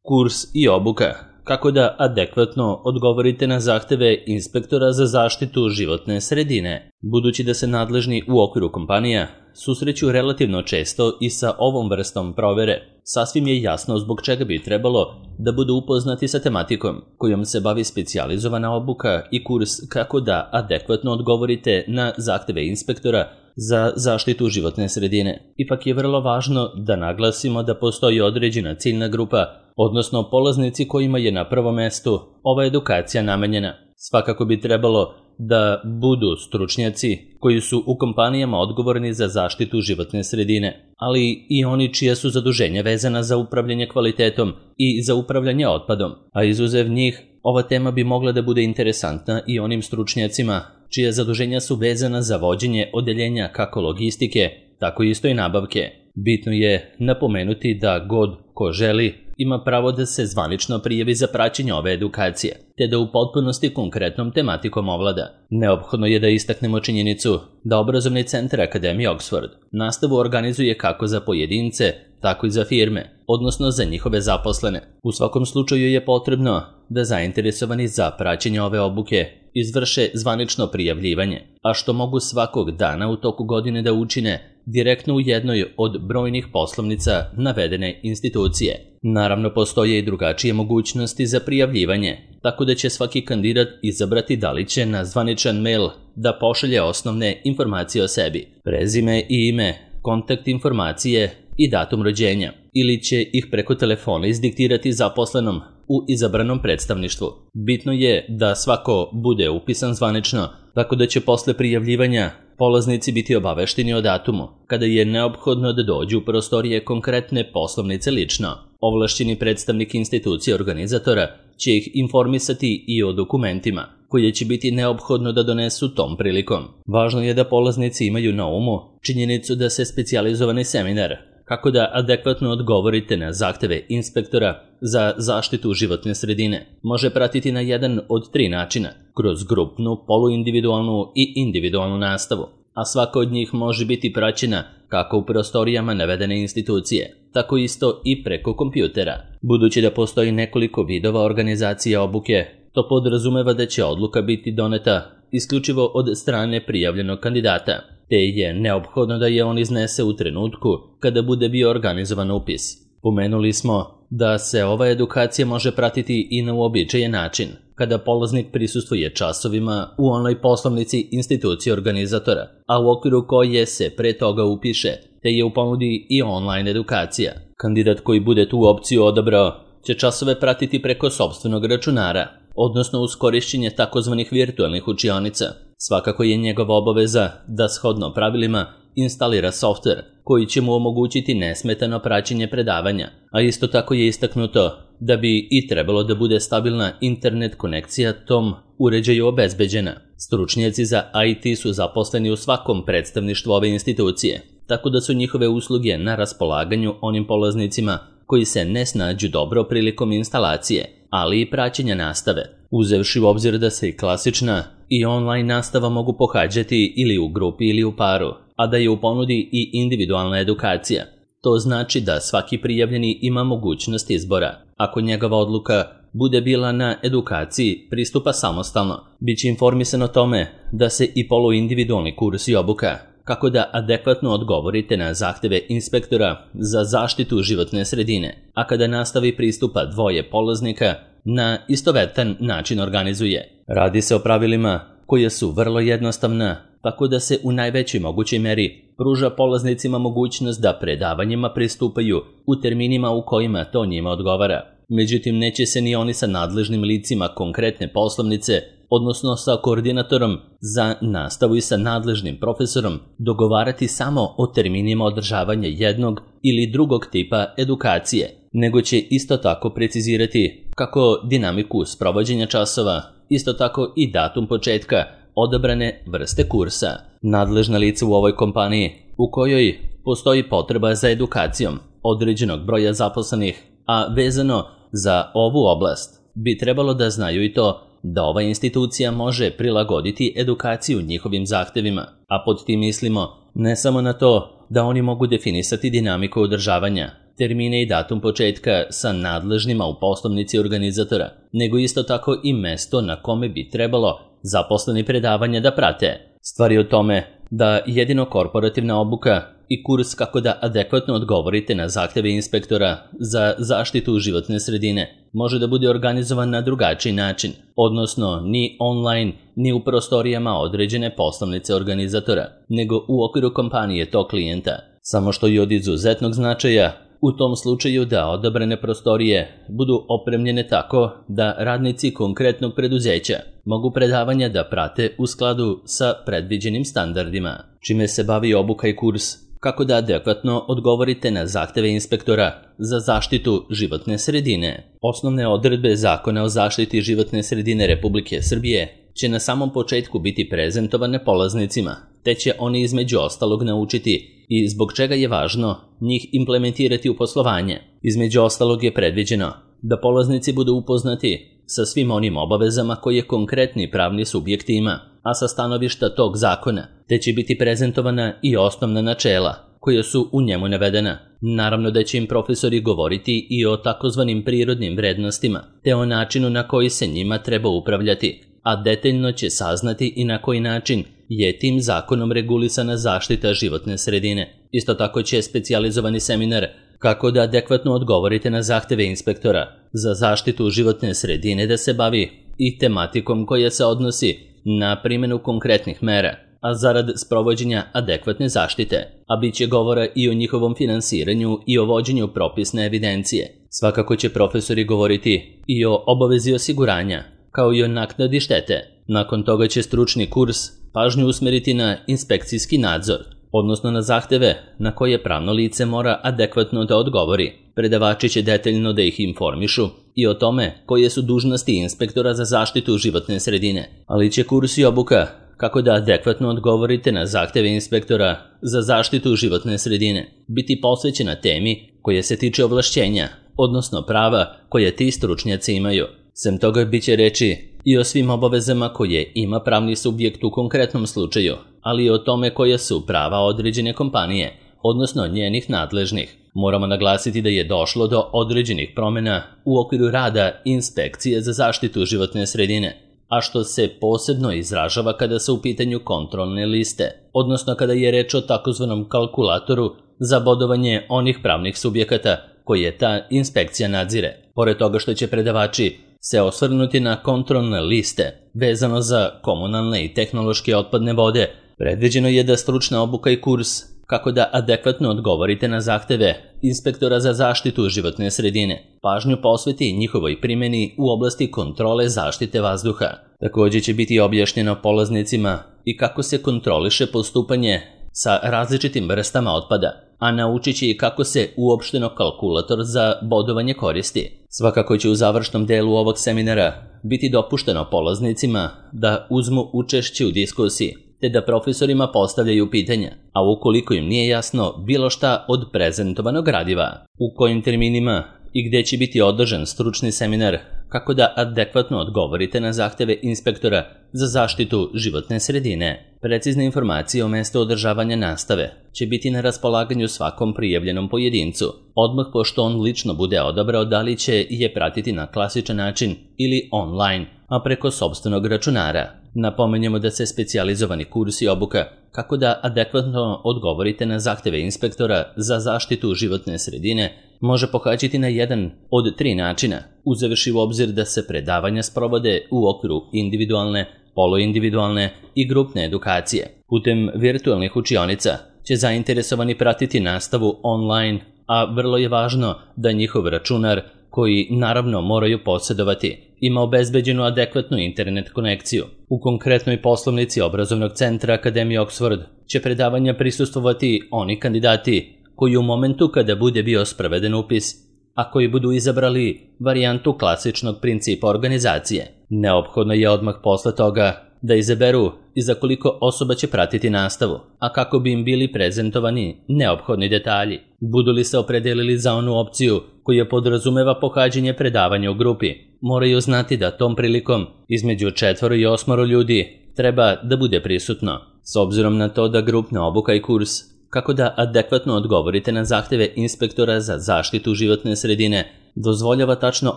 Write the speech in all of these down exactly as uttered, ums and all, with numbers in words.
Kurs i obuka. Kako da adekvatno odgovorite na zahteve inspektora za zaštitu životne sredine. Budući da se nadležni u okviru kompanija susreću relativno često i sa ovom vrstom provere, sasvim je jasno zbog čega bi trebalo da budu upoznati sa tematikom kojom se bavi specijalizovana obuka i kurs kako da adekvatno odgovorite na zahteve inspektora za zaštitu životne sredine. Ipak je vrlo važno da naglasimo da postoji određena ciljna grupa, odnosno polaznici kojima je na prvom mestu ova edukacija namenjena. Svakako bi trebalo da budu stručnjaci koji su u kompanijama odgovorni za zaštitu životne sredine, ali i oni čija su zaduženja vezana za upravljanje kvalitetom i za upravljanje otpadom, a izuzev njih, ova tema bi mogla da bude interesantna i onim stručnjacima čija zaduženja su vezana za vođenje odeljenja kako logistike, tako isto i nabavke. Bitno je napomenuti da god ko želi ima pravo da se zvanično prijavi za praćenje ove edukacije, te da u potpunosti konkretnom tematikom ovlada. Neophodno je da istaknemo činjenicu da Obrazovni centar Akademije Oxford nastavu organizuje kako za pojedince, tako i za firme, odnosno za njihove zaposlene. U svakom slučaju je potrebno da zainteresovani za praćenje ove obuke izvrše zvanično prijavljivanje, a što mogu svakog dana u toku godine da učine direktno u jednoj od brojnih poslovnica navedene institucije. Naravno, postoje i drugačije mogućnosti za prijavljivanje, tako da će svaki kandidat izabrati da li će na zvaničan mail da pošalje osnovne informacije o sebi, prezime i ime, kontakt informacije i datum rođenja, ili će ih preko telefona izdiktirati zaposlenom u izabranom predstavništvu. Bitno je da svako bude upisan zvanično, tako da će posle prijavljivanja polaznici biti obavešteni o datumu, kada je neophodno da dođu u prostorije konkretne poslovnice lično. Ovlašćeni predstavnik institucije organizatora će ih informisati i o dokumentima, koje će biti neophodno da donesu tom prilikom. Važno je da polaznici imaju na umu činjenicu da se specijalizovani seminar kako da adekvatno odgovorite na zahteve inspektora za zaštitu životne sredine može pratiti na jedan od tri načina, kroz grupnu, poluindividualnu i individualnu nastavu, a svaka od njih može biti praćena kako u prostorijama navedene institucije, tako isto i preko kompjutera. Budući da postoji nekoliko vidova organizacije obuke, to podrazumeva da će odluka biti doneta isključivo od strane prijavljenog kandidata, te je neophodno da je on iznese u trenutku kada bude bio organizovan upis. Pomenuli smo da se ova edukacija može pratiti i na uobičajen način, kada polaznik prisustvuje časovima u onoj poslovnici institucije organizatora, a u okviru koje se pre toga upiše, te je u ponudi i online edukacija. Kandidat koji bude tu opciju odabrao će časove pratiti preko sopstvenog računara, odnosno uz korišćenje takozvanih virtualnih učionica. Svakako je njegova obaveza da shodno pravilima instalira softver koji će mu omogućiti nesmetano praćenje predavanja, a isto tako je istaknuto da bi i trebalo da bude stabilna internet konekcija tom uređaju obezbeđena. Stručnjaci za I T su zaposleni u svakom predstavništvu ove institucije, tako da su njihove usluge na raspolaganju onim polaznicima koji se ne snađu dobro prilikom instalacije, ali i praćenja nastave, uzevši u obzir da se i klasična i online nastava mogu pohađati ili u grupi ili u paru, a da je u ponudi i individualna edukacija. To znači da svaki prijavljeni ima mogućnost izbora. Ako njegova odluka bude bila na edukaciji pristupa samostalno, bit će informisan o tome da se i poluindividualni kurs i obuka kako da adekvatno odgovorite na zahteve inspektora za zaštitu životne sredine, a kada nastavi pristupa dvoje polaznika na istovetan način organizuje. Radi se o pravilima koje su vrlo jednostavna, tako da se u najvećoj mogućoj meri pruža polaznicima mogućnost da predavanjima pristupaju u terminima u kojima to njima odgovara. Međutim, neće se ni oni sa nadležnim licima konkretne poslovnice, odnosno sa koordinatorom za nastavu i sa nadležnim profesorom, dogovarati samo o terminima održavanja jednog ili drugog tipa edukacije, nego će isto tako precizirati kako dinamiku sprovođenja časova, isto tako i datum početka odabrane vrste kursa. Nadležna lica u ovoj kompaniji, u kojoj postoji potreba za edukacijom određenog broja zaposlenih, a vezano za ovu oblast, bi trebalo da znaju i to da ova institucija može prilagoditi edukaciju njihovim zahtevima, a pod tim mislimo ne samo na to da oni mogu definisati dinamiku održavanja, termine i datum početka sa nadležnima u poslovnici organizatora, nego isto tako i mesto na kome bi trebalo zaposleni predavanja da prate. Stvar je u tome da jedino korporativna obuka i kurs kako da adekvatno odgovorite na zahteve inspektora za zaštitu životne sredine može da bude organizovan na drugačiji način, odnosno ni online, ni u prostorijama određene poslovnice organizatora, nego u okviru kompanije tog klijenta. Samo što je od izuzetnog značaja u tom slučaju da odabrane prostorije budu opremljene tako da radnici konkretnog preduzeća mogu predavanja da prate u skladu sa predviđenim standardima, čime se bavi obuka i kurs kako da adekvatno odgovorite na zahteve inspektora za zaštitu životne sredine. Osnovne odredbe Zakona o zaštiti životne sredine Republike Srbije će na samom početku biti prezentovane polaznicima, te će oni između ostalog naučiti i zbog čega je važno njih implementirati u poslovanje. Između ostalog je predviđeno da polaznici budu upoznati sa svim onim obavezama koje konkretni pravni subjekt ima, a sa stanovišta tog zakona, te će biti prezentovana i osnovna načela koja su u njemu navedena. Naravno da će im profesori govoriti i o takozvanim prirodnim vrednostima, te o načinu na koji se njima treba upravljati, a detaljno će saznati i na koji način je tim zakonom regulisana zaštita životne sredine. Isto tako će specijalizovani seminar kako da adekvatno odgovorite na zahteve inspektora za zaštitu životne sredine da se bavi i tematikom koja se odnosi na primjenu konkretnih mera, a zarad sprovođenja adekvatne zaštite, a bit će govora i o njihovom finansiranju i o vođenju propisne evidencije. Svakako će profesori govoriti i o obavezi osiguranja, kao i o naknadi štete. Nakon toga će stručni kurs pažnju usmeriti na inspekcijski nadzor, odnosno na zahteve na koje pravno lice mora adekvatno da odgovori. Predavači će detaljno da ih informišu i o tome koje su dužnosti inspektora za zaštitu životne sredine, ali će kurs i obuka kako da adekvatno odgovorite na zahteve inspektora za zaštitu životne sredine biti posvećena temi koja se tiče ovlašćenja, odnosno prava koje ti stručnjaci imaju. Sem toga bit će reči i o svim obavezama koje ima pravni subjekt u konkretnom slučaju, ali i o tome koje su prava određene kompanije, odnosno njenih nadležnih. Moramo naglasiti da je došlo do određenih promjena u okviru rada inspekcije za zaštitu životne sredine, a što se posebno izražava kada su u pitanju kontrolne liste, odnosno kada je reč o takozvanom kalkulatoru za bodovanje onih pravnih subjekata koje ta inspekcija nadzire. Pored toga što će predavači se osvrnuti na kontrolne liste vezano za komunalne i tehnološke otpadne vode, predviđeno je da stručna obuka i kurs kako da adekvatno odgovorite na zahteve inspektora za zaštitu životne sredine pažnju posveti njihovoj primjeni u oblasti kontrole zaštite vazduha. Također će biti objašnjeno polaznicima i kako se kontroliše postupanje sa različitim vrstama otpada, a naučit će i kako se uopšteno kalkulator za bodovanje koristi. Svakako će u završnom delu ovog seminara biti dopušteno polaznicima da uzmu učešće u diskusiji, te da profesorima postavljaju pitanja, a ukoliko im nije jasno bilo šta od prezentovanog gradiva, u kojim terminima i gdje će biti održan stručni seminar kako da adekvatno odgovorite na zahteve inspektora za zaštitu životne sredine. Precizne informacije o mjestu održavanja nastave će biti na raspolaganju svakom prijavljenom pojedincu, odmah pošto on lično bude odabrao da li će je pratiti na klasičan način ili online, a preko sopstvenog računara. Napomenjemo da se specijalizovani kurs i obuka kako da adekvatno odgovorite na zahteve inspektora za zaštitu životne sredine može pohađati na jedan od tri načina, uzevši u obzir da se predavanja sprovode u okviru individualne, poluindividualne i grupne edukacije. Putem virtualnih učionica će zainteresovani pratiti nastavu online, a vrlo je važno da njihov računar, koji naravno moraju posjedovati, ima obezbeđenu adekvatnu internet konekciju. U konkretnoj poslovnici obrazovnog centra Akademije Oxford će predavanja prisustvovati oni kandidati koji u momentu kada bude bio sproveden upis, a koji budu izabrali varijantu klasičnog principa organizacije. Neophodno je odmah posle toga da izaberu i za koliko osoba će pratiti nastavu, a kako bi im bili prezentovani neophodni detalji. Budu li se opredelili za onu opciju koja podrazumeva pohađanje predavanja u grupi, moraju znati da tom prilikom između četvoro i osmoro ljudi treba da bude prisutno. S obzirom na to da grupna obuka i kurs kako da adekvatno odgovorite na zahteve inspektora za zaštitu životne sredine dozvoljava tačno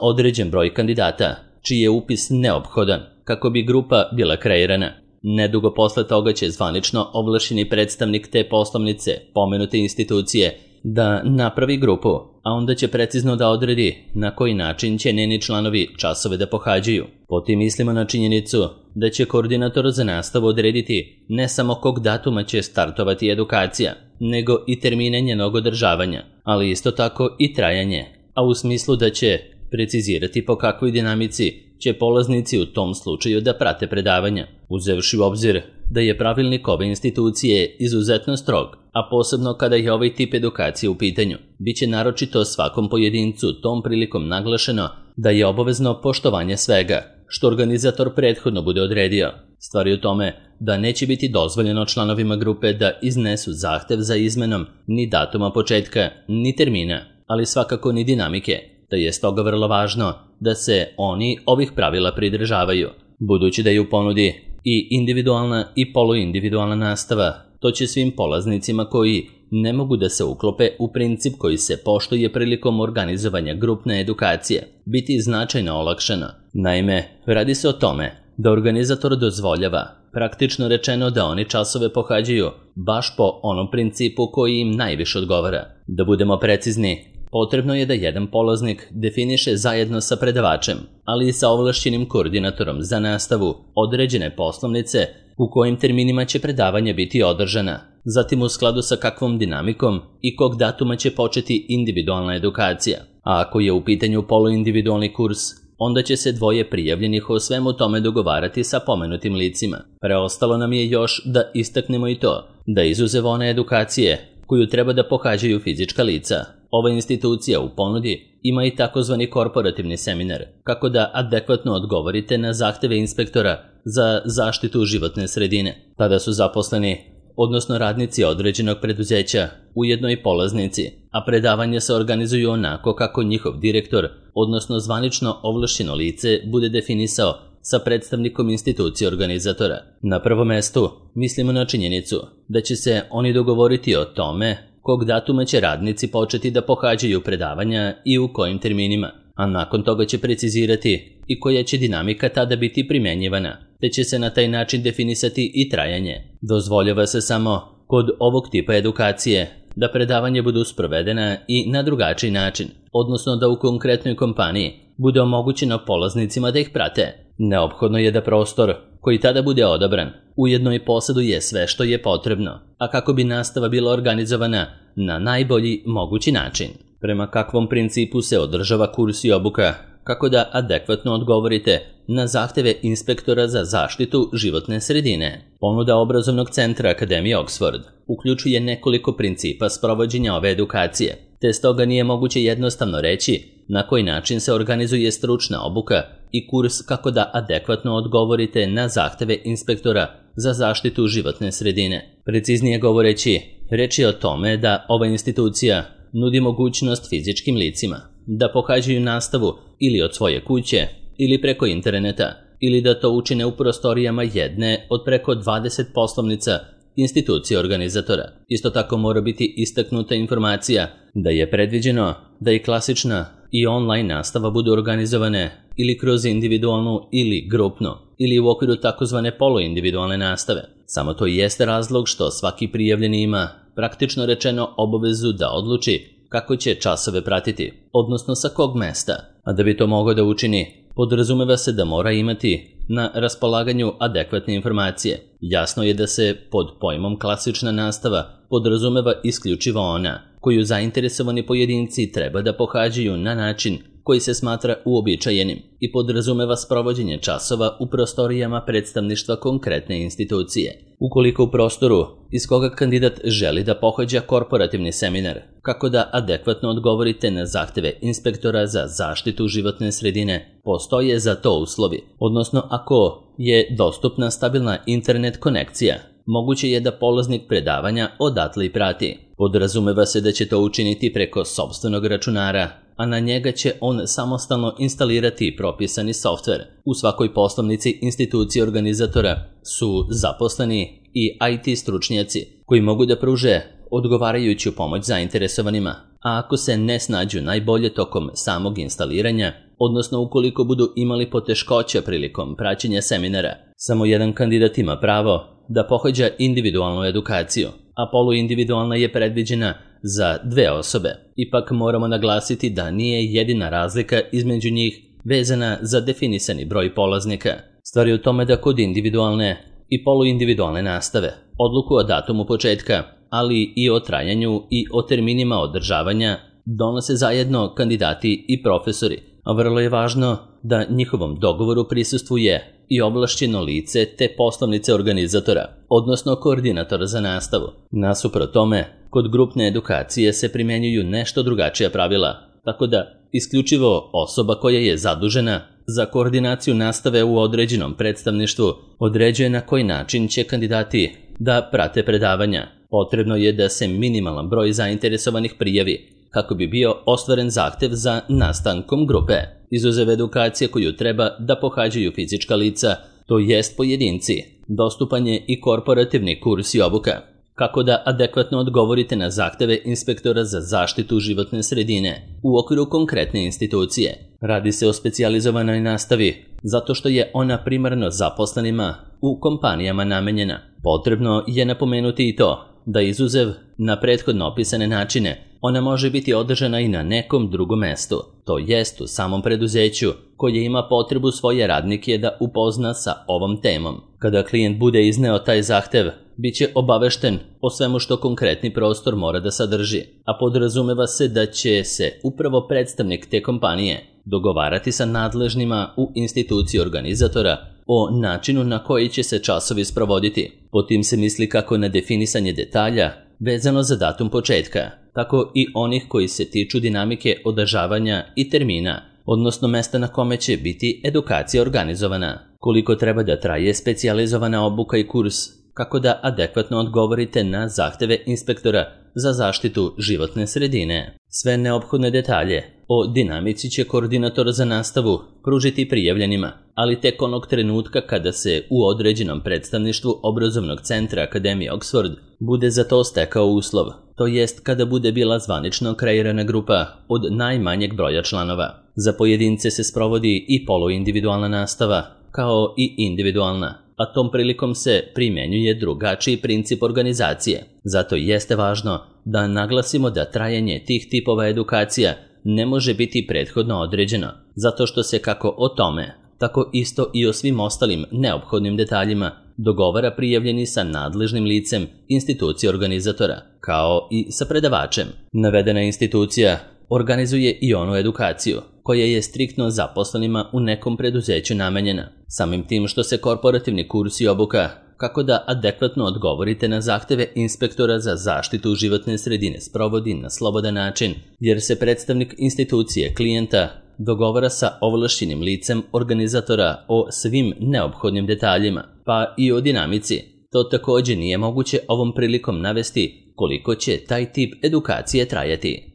određen broj kandidata, čiji je upis neophodan kako bi grupa bila kreirana. Nedugo posle toga će zvanično ovlašćeni predstavnik te poslovnice, pomenute institucije, da napravi grupu, a onda će precizno da odredi na koji način će njeni članovi časove da pohađaju. Potim mislimo na činjenicu da će koordinator za nastavu odrediti ne samo kog datuma će startovati edukacija, nego i termine njenog održavanja, ali isto tako i trajanje, a u smislu da će precizirati po kakvoj dinamici će polaznici u tom slučaju da prate predavanja, uzevši u obzir da je pravilnik ove institucije izuzetno strog, a posebno kada je ovaj tip edukacije u pitanju. Biće naročito svakom pojedincu tom prilikom naglašeno da je obavezno poštovanje svega, što organizator prethodno bude odredio. Stvar je u tome da neće biti dozvoljeno članovima grupe da iznesu zahtev za izmenom ni datuma početka, ni termina, ali svakako ni dinamike, da je stoga vrlo važno da se oni ovih pravila pridržavaju. Budući da je u ponudi i individualna i poluindividualna nastava, to će svim polaznicima koji ne mogu da se uklope u princip koji se poštuje prilikom organizovanja grupne edukacije biti značajno olakšano. Naime, radi se o tome da organizator dozvoljava, praktično rečeno, da oni časove pohađaju baš po onom principu koji im najviše odgovara. Da budemo precizni, potrebno je da jedan polaznik definiše zajedno sa predavačem, ali i sa ovlašćenim koordinatorom za nastavu određene poslovnice u kojim terminima će predavanja biti održana, zatim u skladu sa kakvom dinamikom i kog datuma će početi individualna edukacija. A ako je u pitanju poluindividualni kurs, onda će se dvoje prijavljenih o svemu tome dogovarati sa pomenutim licima. Preostalo nam je još da istaknemo i to da izuzev one edukacije koju treba da pohađaju fizička lica, ova institucija u ponudi ima i takozvani korporativni seminar, kako da adekvatno odgovorite na zahteve inspektora za zaštitu životne sredine. Tada su zaposleni, odnosno radnici određenog preduzeća, ujedno i polaznici, a predavanje se organizuju onako kako njihov direktor, odnosno zvanično ovlašćeno lice, bude definisao sa predstavnikom institucije organizatora. Na prvom mestu mislimo na činjenicu da će se oni dogovoriti o tome kog datuma će radnici početi da pohađaju predavanja i u kojim terminima, a nakon toga će precizirati i koja će dinamika tada biti primjenjivana, te će se na taj način definisati i trajanje. Dozvoljava se samo kod ovog tipa edukacije da predavanje budu sprovedena i na drugačiji način, odnosno da u konkretnoj kompaniji bude omogućeno polaznicima da ih prate. Neophodno je da prostor koji tada bude odabran ujedno i posjeduje sve što je potrebno, a kako bi nastava bila organizovana na najbolji mogući način. Prema kakvom principu se održava kurs i obuka, kako da adekvatno odgovorite na zahteve inspektora za zaštitu životne sredine. Ponuda obrazovnog centra Akademije Oxford uključuje nekoliko principa sprovođenja ove edukacije, te stoga nije moguće jednostavno reći na koji način se organizuje stručna obuka i kurs kako da adekvatno odgovorite na zahteve inspektora za zaštitu životne sredine. Preciznije govoreći, reč je o tome da ova institucija nudi mogućnost fizičkim licima da pohađaju nastavu ili od svoje kuće ili preko interneta, ili da to učine u prostorijama jedne od preko dvadeset poslovnica institucije organizatora. Isto tako mora biti istaknuta informacija da je predviđeno da i klasična i online nastava budu organizovane ili kroz individualnu ili grupnu ili u okviru takozvane poluindividualne nastave. Samo to jeste razlog što svaki prijavljeni ima, praktično rečeno, obavezu da odluči kako će časove pratiti, odnosno sa kog mesta. A da bi to mogao da učini, podrazumeva se da mora imati na raspolaganju adekvatne informacije. Jasno je da se pod pojmom klasična nastava podrazumeva isključivo ona koju zainteresovani pojedinci treba da pohađaju na način koji se smatra uobičajenim i podrazumeva sprovođenje časova u prostorijama predstavništva konkretne institucije. Ukoliko u prostoru iz koga kandidat želi da pohađa korporativni seminar, kako da adekvatno odgovorite na zahteve inspektora za zaštitu životne sredine, postoje za to uslovi, odnosno ako je dostupna stabilna internet konekcija, moguće je da polaznik predavanja odatle i prati. Podrazumeva se da će to učiniti preko sopstvenog računara, a na njega će on samostalno instalirati propisani softver. U svakoj poslovnici institucije organizatora su zaposleni i I T stručnjaci koji mogu da pruže odgovarajuću pomoć zainteresovanima, a ako se ne snađu najbolje tokom samog instaliranja, odnosno ukoliko budu imali poteškoća prilikom praćenja seminara, samo jedan kandidat ima pravo da pohađa individualnu edukaciju, a poluindividualna je predviđena za dve osobe. Ipak moramo naglasiti da nije jedina razlika između njih vezana za definisani broj polaznika. Stvar je u tome da kod individualne i poluindividualne nastave odluku o datumu početka, ali i o trajanju i o terminima održavanja donose zajedno kandidati i profesori, a vrlo je važno da njihovom dogovoru prisustvuje i ovlašćeno lice te poslovnice organizatora, odnosno koordinatora za nastavu. Nasuprot tome, kod grupne edukacije se primjenjuju nešto drugačija pravila, tako da isključivo osoba koja je zadužena za koordinaciju nastave u određenom predstavništvu određuje na koji način će kandidati da prate predavanja. Potrebno je da se minimalan broj zainteresovanih prijavi kako bi bio ostvaren zahtev za nastankom grupe. Izuzev edukacije koju treba da pohađaju fizička lica, to jest pojedinci, dostupan je i korporativni kurs i obuka. Kako da adekvatno odgovorite na zahteve inspektora za zaštitu životne sredine u okviru konkretne institucije. Radi se o specijalizovanoj nastavi, zato što je ona primarno zaposlenima u kompanijama namenjena. Potrebno je napomenuti i to da izuzev na prethodno opisane načine, ona može biti održana i na nekom drugom mestu, to jest u samom preduzeću koje ima potrebu svoje radnike da upozna sa ovom temom. Kada klijent bude izneo taj zahtev, bit će obavešten o svemu što konkretni prostor mora da sadrži, a podrazumeva se da će se upravo predstavnik te kompanije dogovarati sa nadležnima u instituciji organizatora o načinu na koji će se časovi sprovoditi. Po tim se misli kako na definisanje detalja vezano za datum početka, tako i onih koji se tiču dinamike održavanja i termina, odnosno mesta na kome će biti edukacija organizovana, koliko treba da traje specijalizovana obuka i kurs, kako da adekvatno odgovorite na zahteve inspektora za zaštitu životne sredine. Sve neophodne detalje o dinamici će koordinator za nastavu pružiti prijavljenima, ali tek onog trenutka kada se u određenom predstavništvu obrazovnog centra Akademije Oxford bude za to stekao uslov, to jest kada bude bila zvanično kreirana grupa od najmanjeg broja članova. Za pojedince se sprovodi i poluindividualna nastava, kao i individualna, a tom prilikom se primjenjuje drugačiji princip organizacije. Zato jeste važno da naglasimo da trajanje tih tipova edukacija ne može biti prethodno određeno, zato što se kako o tome, tako isto i o svim ostalim neophodnim detaljima dogovara prijavljeni sa nadležnim licem institucije organizatora, kao i sa predavačem. Navedena institucija organizuje i onu edukaciju koja je striktno zaposlenima u nekom preduzeću namenjena. Samim tim što se korporativni kurs i obuka kako da adekvatno odgovorite na zahteve inspektora za zaštitu životne sredine sprovodi na slobodan način, jer se predstavnik institucije klijenta dogovara sa ovlašćenim licem organizatora o svim neophodnim detaljima, pa i o dinamici. To također nije moguće ovom prilikom navesti koliko će taj tip edukacije trajati.